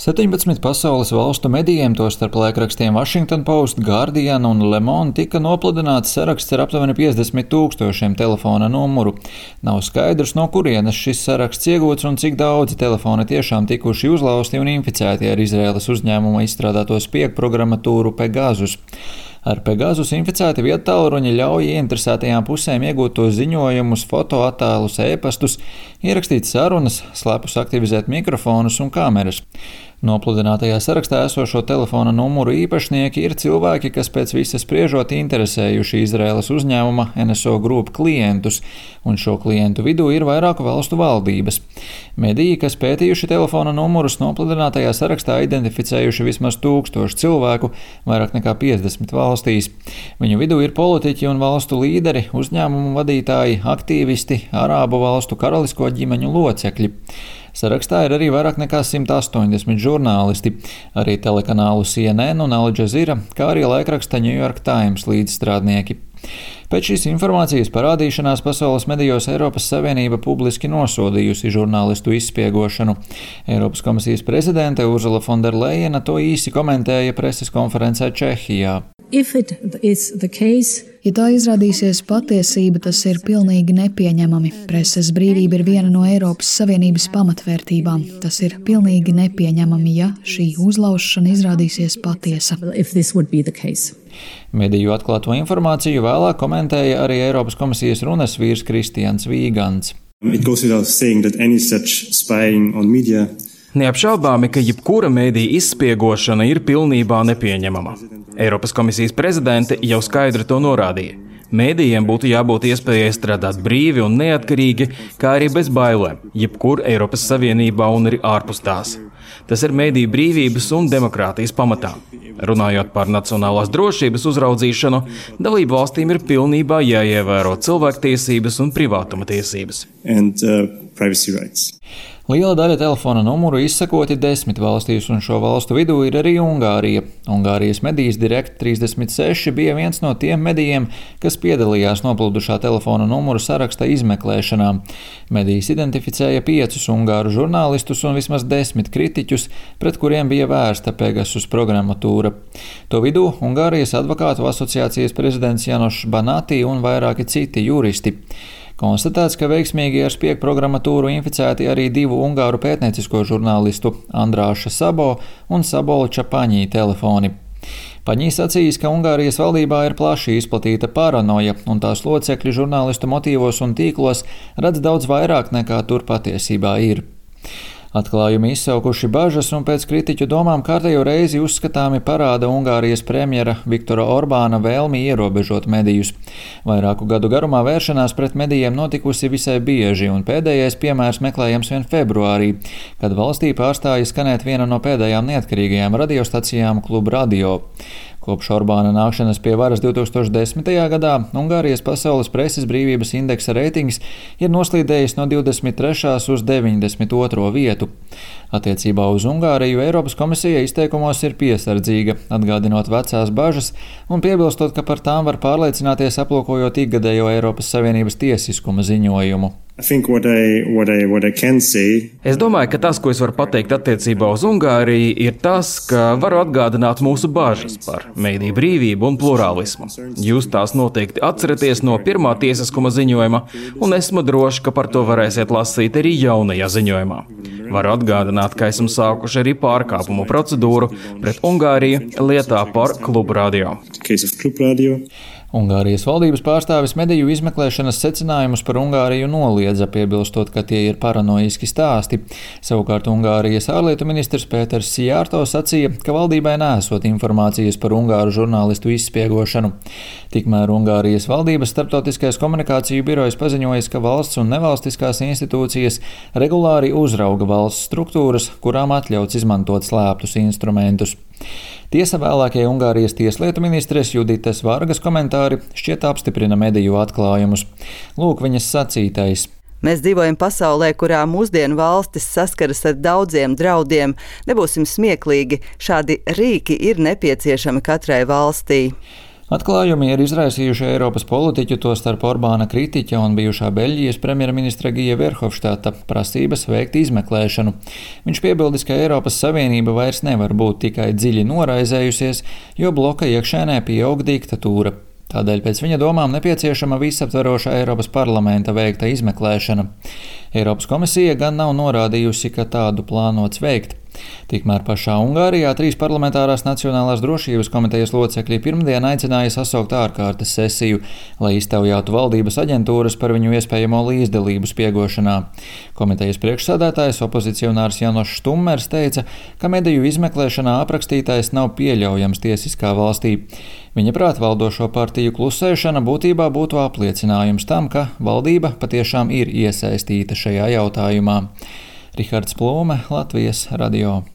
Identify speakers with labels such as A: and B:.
A: 17 pasaules valstu medijiem, tostarp laikrakstiem Washington Post, Guardian un Le Monde, tika nopludināts saraksts ar aptuveni 50 000 telefona numuru. Nav skaidrs, no kurienes šis saraksts iegūts un cik daudzi telefoni tiešām tikuši uzlausti un inficēti ar Izraēlas uzņēmuma izstrādāto spiegprogrammatūru Pegasus. Ar Pegasus inficēti viedtālruņi ļauj ieinteresētajām pusēm iegūt tos ziņojumus, fotoattēlus, ēpastus, ierakstīt sarunas, slepus aktivizēt mikrofonus un kameras. Nopludinātajā sarakstā esošo telefona numuru īpašnieki ir cilvēki, kas pēc visa spriežot interesējuši Izraēlas uzņēmuma NSO Group klientus, un šo klientu vidū ir vairāku valstu valdības. Mediji, kas pētījuši telefona numurus, nopludinātajā sarakstā identificējuši vismaz 1000 cilvēku, vairāk nekā 50 valstīs. Viņu vidū ir politiķi un valstu līderi, uzņēmumu vadītāji, aktīvisti, Arābu valstu karalisko ģimeņu locekļi. Sarakstā ir arī vairāk nekā 180 žurnālisti, arī telekanālu CNN un Al Jazeera, kā arī laikraksta New York Times līdzstrādnieki. Pēc šīs informācijas parādīšanās pasaules medijos Eiropas Savienība publiski nosodījusi žurnālistu izspiegošanu. Eiropas komisijas prezidente Ursula von der Leyena to īsi komentēja preses konferencē Čehijā.
B: Ja tā izrādīsies patiesība, tas ir pilnīgi nepieņemami. Preses brīvība ir viena no Eiropas Savienības pamatvērtībām. Tas ir pilnīgi nepieņemami, ja šī uzlaušana izrādīsies patiesa.
A: Mediju atklāto informāciju vēlāk komentēja arī Eiropas komisijas runas vīrs Kristians Vīgants.
C: Neapšaubāmi, ka jebkura mediju izspiegošana ir pilnībā nepieņemama. Eiropas komisijas prezidente jau skaidri to norādīja. Mēdījiem būtu jābūt iespējai strādāt brīvi un neatkarīgi, kā arī bez bailēm, jebkur Eiropas Savienībā un arī ārpus tās. Tas ir mediju brīvības un demokrātijas pamatā. Runājot par nacionālās drošības uzraudzīšanu, dalību valstīm ir pilnībā jāievēro cilvēktiesības un privātuma tiesības.
A: Liela daļa telefona numuru izsakoti 10 valstīs, un šo valstu vidū ir arī Ungārija. Ungārijas medijas Direkt 36 bija viens no tiem medijiem, kas piedalījās nopludušā telefona numuru saraksta izmeklēšanā. Medijas identificēja 5 ungāru žurnālistus un vismaz 10 kritiķus, pret kuriem bija vērsta Pegasus programmatūra. To vidū Ungārijas advokātu asociācijas prezidents Janošs Banati un vairāki citi juristi. Konstatēts, ka veiksmīgi ar spiegprogrammatūru inficēti arī 2 ungāru pētniecisko žurnālistu Andrāša Sabo un Sabola Čapaņī telefoni. Paņī sacījis, ka Ungārijas valdībā ir plaši izplatīta paranoja, un tās locekļi žurnālistu motīvos un tīklos redz daudz vairāk nekā tur patiesībā ir. Atklājumi izsaukuši bažas un pēc kritiķu domām kārtējo reizi uzskatāmi parāda Ungārijas premjera Viktora Orbāna vēlmi ierobežot medijus. Vairāku gadu garumā vēršanās pret medijiem notikusi visai bieži, un pēdējais piemērs meklējams vien februārī, kad valstī pārstāja skanēt viena no pēdējām neatkarīgajām radiostacijām Klub Radio. Kopš Orbāna nākšanas pie varas 2010. gadā Ungārijas pasaules preses brīvības indeksa reitings ir noslīdējis no 23. uz 92. vietu. Attiecībā uz Ungāriju Eiropas komisija izteikumos ir piesardzīga, atgādinot vecās bažas un piebilstot, ka par tām var pārliecināties aplūkojot ikgadējo Eiropas Savienības tiesiskuma ziņojumu.
C: Es domāju, ka tas, ko es varu pateikt attiecībā uz Ungāriju, ir tas, ka varu atgādināt mūsu bāžas par mediju brīvību un plurālismu. Jūs tās noteikti atceraties no pirmā tiesiskuma ziņojuma, un esmu droši, ka par to varēsiet lasīt arī jaunajā ziņojumā. Varu atgādināt, ka esam sākuši arī pārkāpumu procedūru pret Ungāriju lietā par Klub Radio.
A: Ungārijas valdības pārstāvis mediju izmeklēšanas secinājumus par Ungāriju noliedza, piebilstot, ka tie ir paranoiski stāsti. Savukārt Ungārijas ārlietu ministrs Pēters Sijārto sacīja, ka valdībai nesot informācijas par ungāru žurnālistu izspiegošanu. Tikmēr Ungārijas valdības starptautiskais komunikāciju birojs paziņojis, ka valsts un nevalstiskās institūcijas regulāri uzrauga valsts struktūras, kurām atļauts izmantot slēptus instrumentus. Tiesa vēlākie Ungārijas tieslietu ministres Judites Vargas komentāri šķiet apstiprina mediju atklājumus. Lūk viņas sacītais.
D: Mēs dzīvojam pasaulē, kurā mūsdienu valstis saskaras ar daudziem draudiem. Nebūsim smieklīgi, šādi rīki ir nepieciešami katrai valstī.
A: Atklājumi ir izraisījuši Eiropas politiķu, tostarp Orbāna kritiķa un bijušā Beļģijas premjerministra Gija Verhofstadta prasības veikt izmeklēšanu. Viņš piebildis, ka Eiropas Savienība vairs nevar būt tikai dziļi noraizējusies, jo bloka iekšēnē pieaug diktatūra. Tādēļ pēc viņa domām nepieciešama visaptveroša Eiropas parlamenta veikta izmeklēšana. Eiropas komisija gan nav norādījusi, ka tādu plānots veikt. Tikmēr pašā Ungārijā 3 parlamentārās Nacionālās drošības komitejas locekļi pirmdien aicināja sasaukt ārkārtas sesiju, lai iztaujātu valdības aģentūras par viņu iespējamo līdzdalību spiegošanā. Komitejas priekšsēdētājs opozicionārs Janošs Štummers teica, ka mediju izmeklēšanā aprakstītais nav pieļaujams tiesiskā valstī. Viņa prāt valdošo partiju klusēšana būtībā būtu apliecinājums tam, ka valdība patiešām ir iesaistīta šajā jautājumā. Rihards Plūme, Latvijas radio.